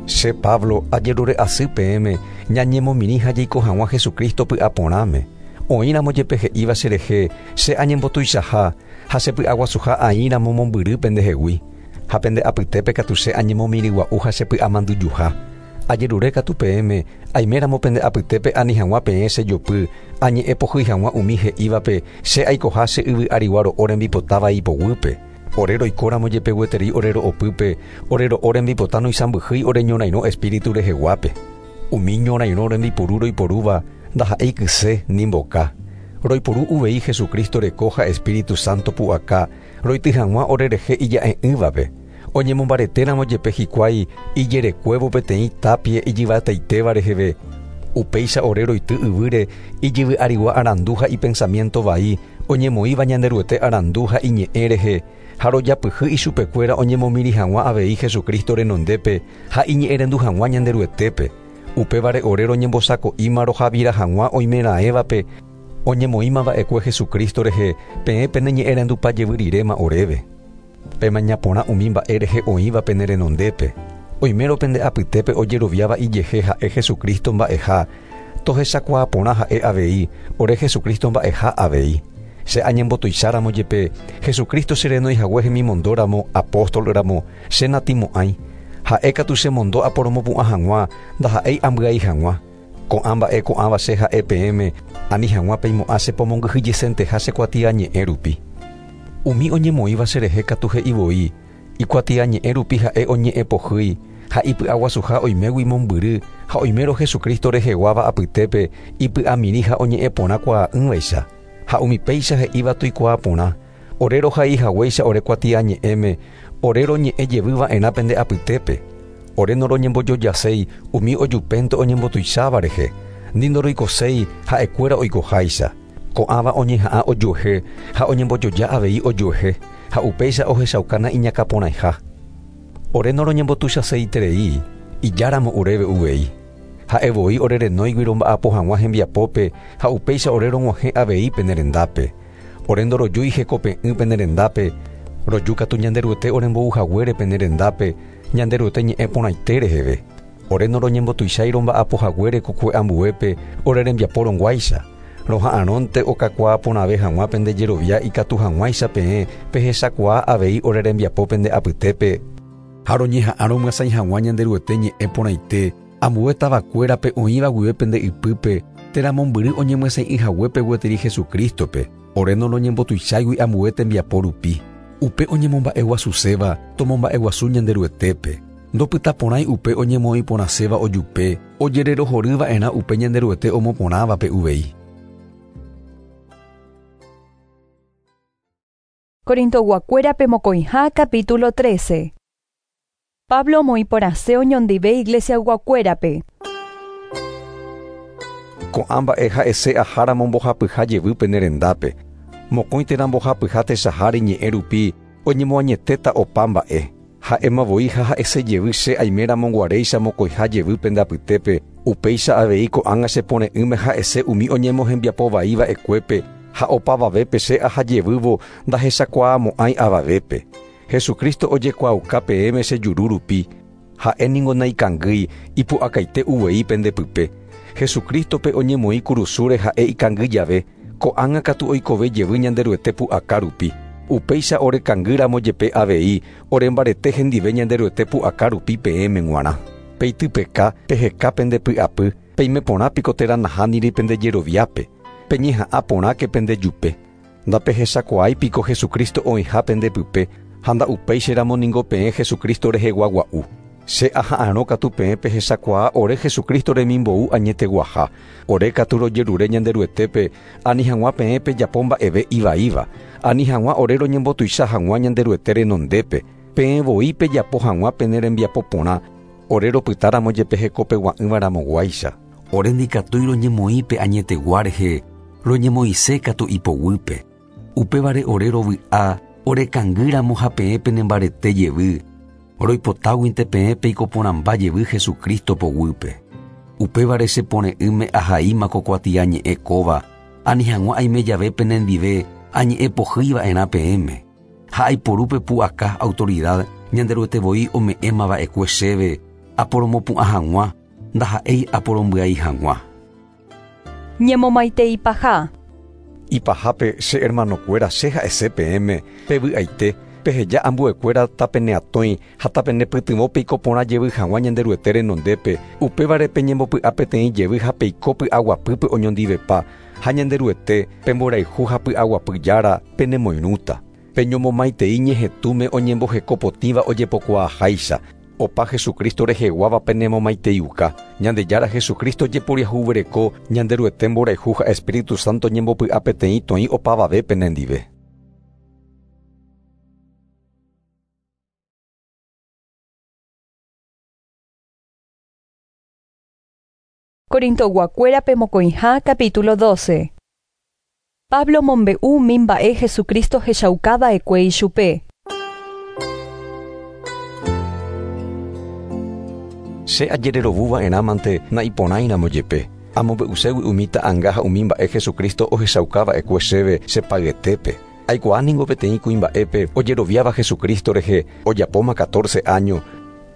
Che Pablo ajerure asy peẽme ñañemomirĩ ha jaiko hag̃ua Jesucristo py'aporãme. Oĩramo jepe he'íva cherehe che añembotuichaha ha che py'aguasuha aĩramo mombyry pendehegui. Ha pende apytépe katu che añemomirĩgua'u ha che py'amandyjuha. Ajerure katu peẽme aiméramo pende apytépe ani hag̃ua peẽ chejopy añe'ẽpohýi hag̃ua umi he'ívape che aikoha che yvy arigua ro'o rembipotáva ipoguýpe. Ore roikóramo jepe gueteri ore ro'opýpe, ore ro'o rembipota noisãmbyhýi ore ñorairõ espíritu reheguápe. Umi ñorairõ rembiporu roiporúva ndaha'éi kyse ni mboka. Roiporu uvei Jesucristo reko ha Espíritu Santo pu'aka roity hag̃ua orerehe ija'e'ỹvape. Oñemombaretéramo jepe hikuái ijerekuévo peteĩ tapie ijyvataitéva reheve. Upéicha ore roity yvýre ijyvy arigua arandu ha ipensamiento vai oñemoĩva Ñanderuete arandu ha iñe'ẽ rehe, ha rojapyhy ichupekuéra oñemomirĩ hag̃ua avei Jesucristo renondépe ha iñe'ẽrendu hag̃ua Ñanderuetépe. Upévare ore roñembosako'íma rohavira hag̃ua oimeraẽvape oñemoĩmava'ekue Jesucristo rehe peẽ pene ñe'ẽrendupa jevy riréma oréve. Pemaña porã umi mba'e rehe oĩva pene renondépe. Oimérõ pende apytépe ojeroviáva ijehe ha'e Jesucristo mba'eha, tohechakuaa porã ha'e avei, ore Jesucristo mba'eha avei. Che añembotuicháramo jepe, Jesucristo cherenóihague hemimondóramo, apóstolramo, che natĩmo'ãi. Ha'e katu chemondo aporomopu'ã hag̃ua, ndaha'éi ambyai hag̃ua. Ko'ã mba'e ko'ãva che ha'e peẽme, ani hag̃ua peimo'ã chepomongyhyjesenteha che kuatiañe'ẽ rupi. Umi oñemoĩva cherehe katu he'i voi, ikuatiañe'ẽ rupi ha'e oñe'ẽpohýi ha ipy'aguasuha oimégui mombyry ha oimérõ Jesucristo reheguáva apytépe ipy'amirĩ ha oñe'ẽ porã kuaa'ỹvaicha. Ha umi péicha he'íva toikuaa porã, ore rohaihaguéicha ore kuatiañe'ẽme, ore roñe'ẽ jevyva'erã pende apytépe. Ore noroñembojojaséi umi ojupénte oñembotuicháva rehe, ni ndoroikoséi ha'ekuéra oikoháicha. Ko'ãva oñeha'ã ojuehe ha oñembojoja avei ojuehe, ha upéicha ohechaukana iñakãporãiha. Ore noroñembotuichaseiterei, ijáramo oréve uvei. Ha'e voi ore renóigui romba'apo hag̃ua hembiapópe ha upéicha ore rog̃uahẽ avei pene rendápe. Ore ndorojúi hekope'ỹ pene rendápe, roju katu Ñanderuete orembouhaguére pene rendápe, Ñanderuete ñe'ẽ porãite reheve. Ore noroñembotuichái romba'apohaguére kokue ambuépe ore rembiapo rõguáicha. Roha'arõnte okakuaa porãve hag̃ua pende jerovia ikatu hag̃uáicha peẽ pehechakuaa avei ore rembiapo pende apytépe. Ha roñeha'ã romyasãi hag̃ua Ñanderuete ñe'ẽ porãite ambue tavakuérape oĩva guive pende ypýpe térã mombyry oñemyasãi'ỹhaguépe gueteri Jesucristo-pe, ore noroñembotuicháigui ambue tembiapo rupi. Upe oñemomba'eguasuséva tomomba'eguasu Ñanderuetépe. Ndopytaporãi upe oñemoĩporãséva ojupe, ojererohoryva'erã upe Ñanderuete omoporãvape uvei. Corintoyguakuérape mokõiha capítulo 13. Pablo omoĩporãse oñondive iglesiayguakuérape. Ko'ã mba'e ha'ese aháramo mbohapyha jevy pene rendápe. Mokõi térã mbohapyha techaháre ñe'ẽ rupi oñemoañetéta opa mba'e. Ha'éma voi ha ha'ese jevy che aiméramo guaréicha mokõiha jevy pende apytépe, upéicha avei ko'ág̃a chepore'ỹme ha'ese umi oñemohembiapovaiva'ekuépe ha opavavépe che aha jevývo ndahechakuaamo'ãi avavépe. Jesucristo ojekuaauka peẽme che juru rupi, ha'e ningo naikangýi ipu'akaite uvei pende pype. Jesucristo-pe oñemoĩ kurusúre ha'e ikangy jave, ko'ág̃a katu oikove jevy Ñanderuete pu'aka rupi. Upéicha orekangýramo jepe avei orembarete hendive Ñanderuete pu'aka rupi peẽme g̃uarã. Peitypeka, peheka pende py'apy, Peime porã piko térã nahániri pende jeroviápe, peñeha'ã porãke pende jupe. Ndapehechakuaái piko Jesucristo oĩha pende pype ha nda'upéicharamo ningo peẽ Jesucristo rehegua gua'u. Che aha'arõ katu peẽ pehechakuaa ore Jesucristo remimbou añeteguaha. Ore katu rojerure Ñanderuetépe ani hag̃ua peẽ pejapo mba'eve ivaíva, ani hag̃ua ore roñembotuicha hag̃ua Ñanderuete renondépe, peẽ voi pejapo hag̃ua pene rembiapo porã, ore ropytáramo jepe hekopegua'ỹvaramoguáicha. Ore ndikatúi roñemoĩpe añetegua rehe, roñemoĩse katu ipoguýpe. Upévare ore rovy'a, orekangýramo ha peẽ penembarete jevy, roipotáguinte peẽ peikoporãmba jevy Jesucristo poguýpe. Upévare chepore'ỹme ahaíma ko kuatiañe'ẽ kóva, ani hag̃ua aime jave penendive añe'ẽ pohýiva'erã peẽme. Ha aiporúpe pu'aka autoridad Ñanderuete voi ome'ẽmava'ekue chéve aporomopu'ã hag̃ua, ndaha'éi aporombyai hag̃ua. Ñemomaiteipaha. Ipahápe che hermanokuéra che ha'ese peẽme pevy'aite, peheja ambuekuéra tapeneatõi ha tapenepytyvõ peiko porã jevy hag̃ua Ñanderuete renondépe, upévare peñembopy'a peteĩ jevy ha peiko py'aguapýpe oñondivepa, ha Ñanderuete pemborayhu ha py'aguapy jára penemoirũta. Peñomomaitei ñehetũme oñembohekopotĩva ojepokuaaháicha. Opa Jesucristo reheguáva penemomaiteiuka. Ñandejára Jesucristo jeporiahuvereko, Ñanderuete mborayhu ha Espíritu Santo ñembopy'a peteĩ toĩ opavave penendive. Corintoguakuérape mokõiha capítulo 12. Pablo mombe'u umi mba'e Jesucristo hechaukava'ekue ichupe. Che ajererovuva'erãmante naiporãiramo jepe. Amombe'uségui umi ta'anga ha umi mba'e Jesucristo ohechaukava'ekue chéve chepayetépe. Aikuaa ningo peteĩ kuimba'épe ojeroviáva Jesucristo rehe ojapóma 14 año,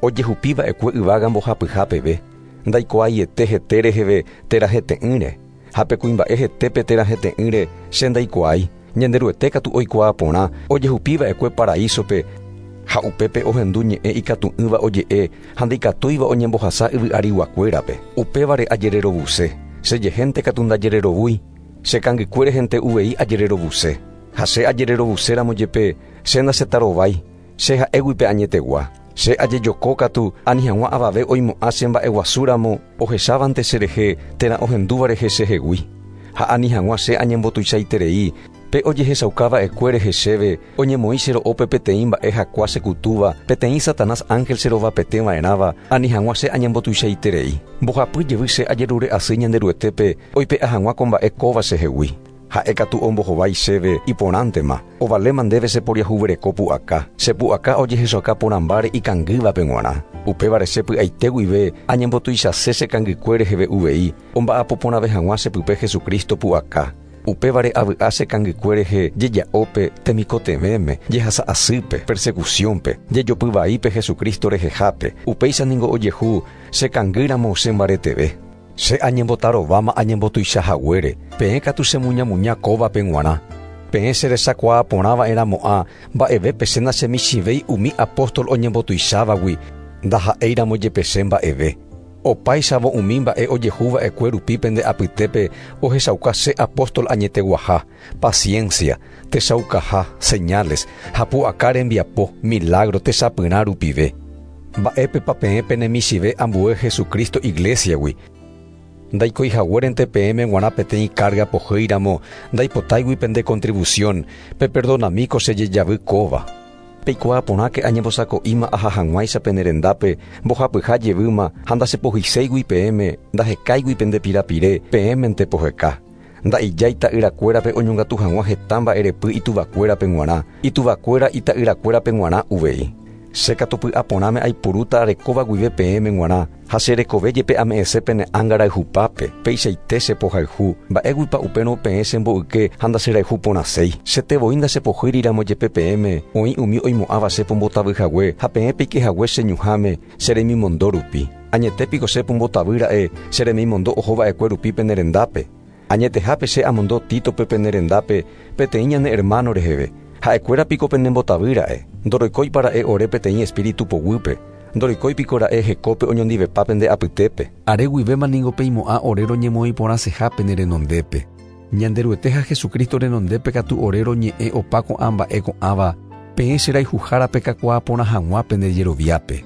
ojehupiva'ekue yvága mbohapyha peve. Ndaikuaaiete hete reheve térã hete'ỹre. Ha pe kuimba'e hetépe térã hete'ỹre che ndaikuaái. Ñanderuete katu oikuaa porã ojehupiva'ekue paraísope ha upépe ohendu ñe'ẽ ikatu'ỹva oje'e ha ndaikatúiva oñembohasa yvy'ariguakuérape. Upévare ajererovuse. Chejehénte katu ndajererovúi. Che kangykuérehente uvei ajererovuse. Ha che ajererovuséramo jepe che ndachetarovái. Che ha'éguipe añetegua. Che ajejoko katu ani hag̃ua avave oimo'ã che mba'eguasúramo ohechávante cherehe térã ohendúva rehe chehegui. Ha ani hag̃ua che añembotuichaiterei pe ojehechaukava'ekue rehe chéve oñemoĩ che ro'ópe peteĩ mba'e hakua chekutúva, peteĩ Satanás ángel cherovapeteva'erãva ani hag̃ua che añembotuichaiterei. Mbohapy jevy che ajerure asy Ñanderuetépe oipe'a hag̃ua ko mba'e kóva chehegui. Ha'e katu ombohovái chéve iporãntema, ovaléma ndéve cheporiahuvereko pu'aka, che pu'aka ojehechauka porãmbáre ikangývape g̃uarã. Upévare che py'aite guive añembotuichase che kangykue reheve uvei, omba'apo porãve hag̃ua chepype Jesucristo pu'aka. Upévare avy'a che kangykue rehe jeja'ópe temikotevẽme, jehasa'asýpe, persecuciónpe, jejopyvaípe Jesucristo rehehápe. Upéicha ningo ojehu che kangýramo chembareteve. Che añembotarováma añembotuichahaguére, peẽ katu chemuñamuña kóvape g̃uarã. Peẽ cherechakuaa porãva'erãmo'ã mba'evépe che nachemichĩvéi umi apóstol oñembotuichávagui, ndaha'éiramo jepe che mba'eve. Opáichavo umi mba'e ojehuva'ekue rupi pende apytépe ohechauka che apóstol añeteguaha, paciencia, techaukaha, señales, ha pu'aka rembiapo, milagro techapyrã rupive. Mba'épepa peẽ penemichĩve ambue Jesucristo iglesiagui. Ndaikoihaguérente peẽme g̃uarã peteĩ carga pohýiramo, ndaipotáigui pende contribución, peperdonamíko che jejavy kóva. Peikuaa porãke añembosako'íma aha hag̃uáicha pene rendápe, mbohapyha jevýma ha ndachepohyséigui peẽme, ndahekáigui pende pirapire, peẽmente poheka. Nda'ijái ta'yrakuérape oñongatu hag̃ua heta mba'erepy ituvakuérape g̃uarã, ituvakuéra ita'yrakuérape g̃uarã uvei. Che katu py'aporãme aipurúta arekóva guive peẽme g̃uarã, ha che rekove jepe ame'ẽse pene ánga rayhupápe, peichaite chepohayhu, mba'éguipa upérõ peẽ chemboyke ha ndacherayhu porãséi. Chete voi ndachepohýriramo jepe peẽme, oĩ umi oimo'ãva che pombotavyhague ha peẽ peikehague che ñuhãme che remimondo rupi. Añete piko che pombotavýra'e che remimondo ohova'ekue rupi pene rendápe. Añetehápe che amondo Títope pene rendápe peteĩ ñane hermano reheve. Ha'ekuéra piko penembotavýra'e. Ndoroikóipara'e ore peteĩ espíritu poguýpe. Ndoroikói piko ra'e hekópe oñondivepa pende apytépe. Are guivéma ningo peimo'ã ore roñemoĩ porãseha pene renondépe. Ñanderuete ha Jesucristo renondépe katu ore roñe'ẽ opa ko'ã mba'e ko'ãva peẽ che rayhuhárape kakuaa porã hag̃ua pende jeroviápe.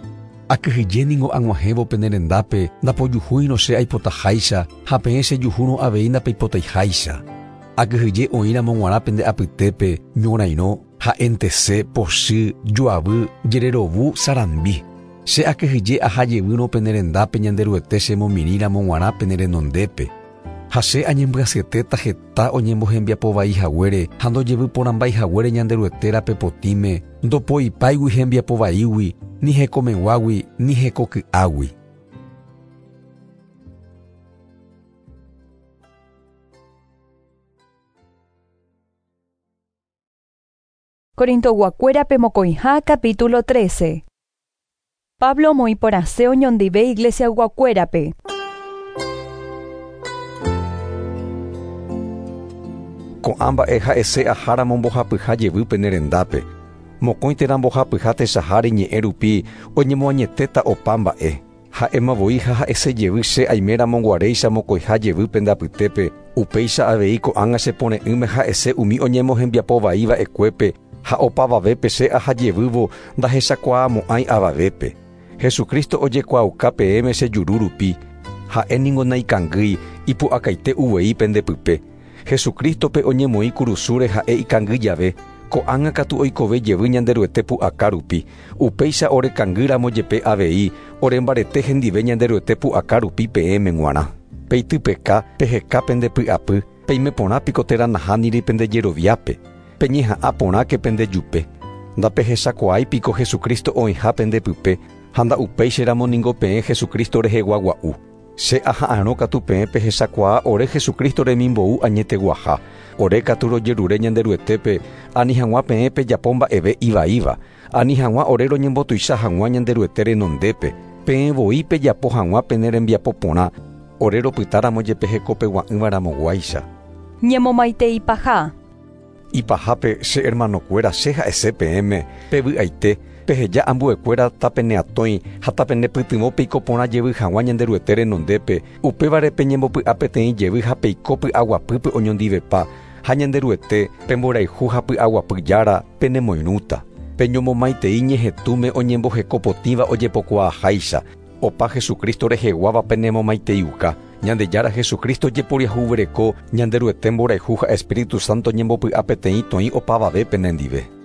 Akyhyje ningo ag̃uahẽvo pene rendápe ndapojuhúirõ che aipotaháicha ha peẽ chejuhúrõ avei ndapeipotaiháicha. Akyhyje oĩramo g̃uarã pende apytépe ñorairõ, ha'entese, pochy, joavy, jererovu, sarambi. Che akyhyje aha jevýrõ pene rendápe Ñanderuete chemomirĩramo g̃uarã pene renondépe. Ha che añembyasyetéta heta oñembohembiapovai haguére ha ndojevyporãmbái haguére Ñanderuete rape potĩme, ndopoipáigui hembiapovaígui, ni hekomeguágui, ni hekoky'águi. Corintoguakuérape mokõiha capítulo 13. Pablo omoĩporãse oñondive iglesiayguakuérape. Ko'ã mba'e ha'ese aháramo mbohapyha jevy pene rendápe. Mokõi térã mbohapyha techaháre ñe'ẽ rupi oñemoañetéta opa mba'e. Ha'éma voi ha ha'ese jevy che aiméramo guaréicha mokõiha jevy pende apytépe, upéicha avei ko'ág̃a chepore'ỹme ha'ese umi oñemohembiapovai va'ekuépe ha opavavépe che aha jevývo ndahechakuaamo'ãi avavépe. Jesucristo ojekuaauka peẽme che juru rupi, ha'e ningo naikangýi ipu'akaite uvei pende pype. Jesucristope oñemoĩ kurusúre ha'e ikangy jave, ko'ág̃a katu oikove jevy Ñanderuete pu'aka rupi, upéicha orekangýramo jepe avei orembarete hendive Ñanderuete pu'aka rupi peẽme g̃uarã. Peitypeka, peheka pende py'apy, peime porã piko térã nahániri pende jeroviápe, peñeha'ã porãke pende jupe. Ndapehechakuaái piko Jesucristo oĩha pende pype, ha nda'upéicharamo ningo peẽ Jesucristo reheguagua'u. Che aha'arõ katu peẽ pehechakuaa ore Jesucristo remimbou añeteguaha. Ore katu rojerure Ñanderuetépe ani hag̃ua peẽ pejapo mba'eve ivaíva, ani hag̃ua ore roñembotuicha hag̃ua Ñanderuete renondépe, peẽ voi pejapo hag̃ua pene rembiapo porã, ore ropytáramo jepe hekopegua'ỹvaramoguáicha. Ñemomaiteipaha. Ipahápe che hermanokuéra che ha'ese peẽme pevy'aite, peheja ambuekuéra tapeneatõi ha tapenepytyvõ peiko porã jevy hag̃ua Ñanderuete renondépe, upévare peñembopy'a peteĩ jevy ha peiko py'aguapýpe oñondivepa, ha Ñanderuete pemborayhu ha py'aguapy jára penemoirũta. Peñomomaitei ñehetũme oñembohekopotĩva ojepokuaaháicha, opa Jesucristo reheguáva penemomaiteiuka. Ñandejára Jesucristo jeporiahuvereko, Ñanderuete mborayhu ha Espíritu Santo ñembopy'a peteĩ toĩ opavave penendive.